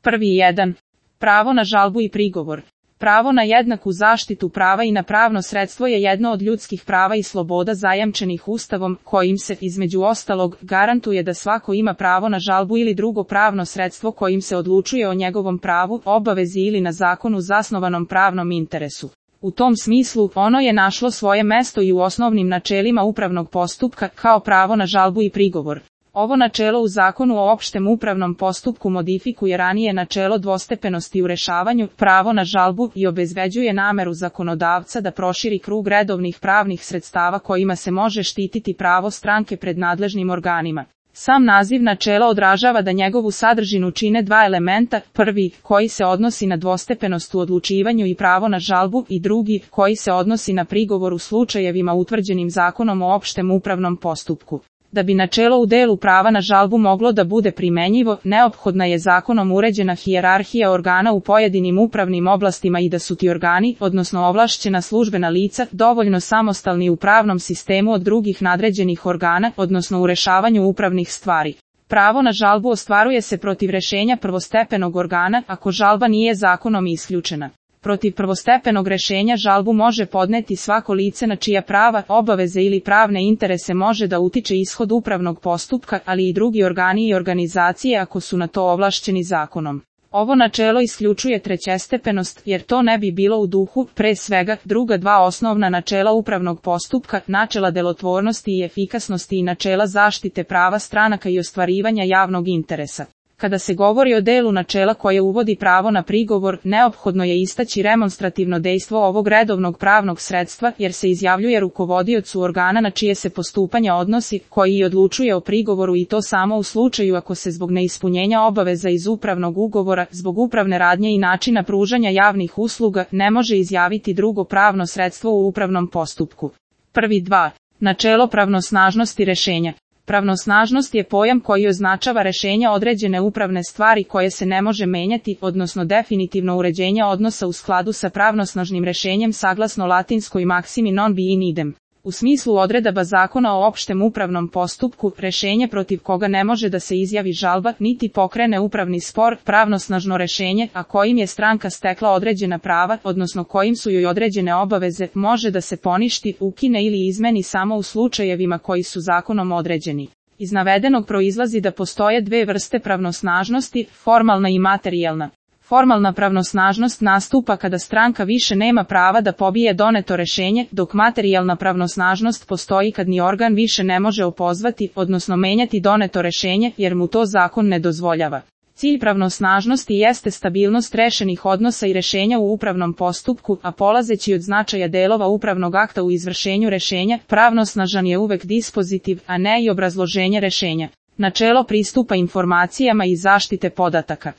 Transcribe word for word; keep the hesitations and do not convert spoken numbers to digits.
Prvi jedan. Pravo na žalbu i prigovor. Pravo na jednaku zaštitu prava i na pravno sredstvo je jedno od ljudskih prava i sloboda zajamčenih Ustavom, kojim se, između ostalog, garantuje da svako ima pravo na žalbu ili drugo pravno sredstvo kojim se odlučuje o njegovom pravu, obavezi ili na zakonu zasnovanom pravnom interesu. U tom smislu, ono je našlo svoje mesto i u osnovnim načelima upravnog postupka, kao pravo na žalbu i prigovor. Ovo načelo u Zakonu o opštem upravnom postupku modifikuje ranije načelo dvostepenosti u rešavanju, pravo na žalbu i obezbeđuje nameru zakonodavca da proširi krug redovnih pravnih sredstava kojima se može štititi pravo stranke pred nadležnim organima. Sam naziv načela odražava da njegovu sadržinu čine dva elementa, prvi, koji se odnosi na dvostepenost u odlučivanju i pravo na žalbu, i drugi, koji se odnosi na prigovor u slučajevima utvrđenim Zakonom o opštem upravnom postupku. Da bi načelo u delu prava na žalbu moglo da bude primenjivo, neophodna je zakonom uređena hijerarhija organa u pojedinim upravnim oblastima i da su ti organi, odnosno ovlašćena službena lica, dovoljno samostalni u pravnom sistemu od drugih nadređenih organa, odnosno u rešavanju upravnih stvari. Pravo na žalbu ostvaruje se protiv rešenja prvostepenog organa, ako žalba nije zakonom isključena. Protiv prvostepenog rešenja žalbu može podneti svako lice na čija prava, obaveze ili pravne interese može da utiče ishod upravnog postupka, ali i drugi organi i organizacije ako su na to ovlašćeni zakonom. Ovo načelo isključuje trećestepenost, jer to ne bi bilo u duhu, pre svega, druga dva osnovna načela upravnog postupka, načela delotvornosti i efikasnosti i načela zaštite prava stranaka i ostvarivanja javnog interesa. Kada se govori o delu načela koje uvodi pravo na prigovor, neophodno je istaći demonstrativno dejstvo ovog redovnog pravnog sredstva, jer se izjavljuje rukovodiocu organa na čije se postupanja odnosi, koji i odlučuje o prigovoru i to samo u slučaju ako se zbog neispunjenja obaveza iz upravnog ugovora, zbog upravne radnje i načina pružanja javnih usluga, ne može izjaviti drugo pravno sredstvo u upravnom postupku. Prvi dva. Načelo pravnosnažnosti rešenja. Pravnosnažnost je pojam koji označava rešenja određene upravne stvari koje se ne može menjati, odnosno definitivno uređenje odnosa u skladu sa pravnosnažnim rešenjem saglasno latinskoj maksimi non bi in idem. U smislu odredaba Zakona o opštem upravnom postupku, rešenje protiv koga ne može da se izjavi žalba, niti pokrene upravni spor, pravnosnažno rešenje, a kojim je stranka stekla određena prava, odnosno kojim su joj određene obaveze, može da se poništi, ukine ili izmeni samo u slučajevima koji su zakonom određeni. Iz navedenog proizlazi da postoje dve vrste pravnosnažnosti, formalna i materijalna. Formalna pravnosnažnost nastupa kada stranka više nema prava da pobije doneto rešenje, dok materijalna pravnosnažnost postoji kad ni organ više ne može opozvati, odnosno menjati doneto rešenje, jer mu to zakon ne dozvoljava. Cilj pravnosnažnosti jeste stabilnost rešenih odnosa i rešenja u upravnom postupku, a polazeći od značaja delova upravnog akta u izvršenju rešenja, pravnosnažan je uvek dispozitiv, a ne i obrazloženje rešenja. Načelo pristupa informacijama i zaštite podataka.